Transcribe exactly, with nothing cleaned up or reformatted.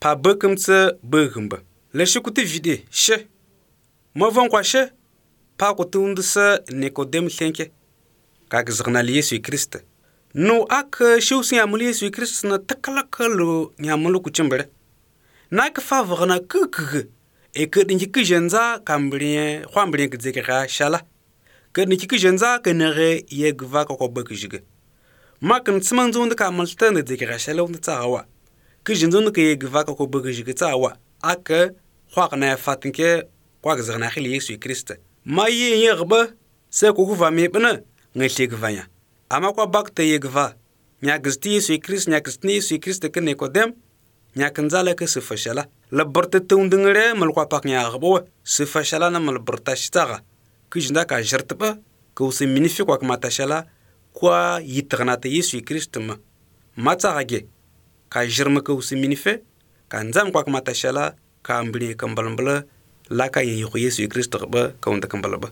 pa bekemtse begumba le shikuti vide she mavon kwa she pa ko tundse Nikodem thenke ka gzgna Yesu Krist no ak shousi amul Yesu Krist na takalakalo nyamulu ku chimbere na ka favorna kukug e ke dinji ke jenza kambrien khwambrien ke zekera shala ke ni ke jenza ke nere yegva ko ko bekjige makan tsmanzund ka maltan de zekera shala und tsawa ke jenzund ke yegva ko ko bekjige tsawa ak khwaqna fatinke kwa gzgna khili Yesu Krist ma yi yegba se ko kuva mebna ngashegvanya ama kwa bakte yegva nya gzti Yesu Krist nya gzti Yesu Krist ke Nikodem nya kanzala ke sufashala la barta tundngre mal kwa pak nya gbo sufashala na mal barta shtaga kijnda ka jartba ko se minifi kwa kmata shala kwa yitgnata Yesu Krist ma matsage ka jirma ko se minife ka nzam kwa kmata shala ka ambri kambalmbla la ka yi Yesu Krist ba ka unda kambalba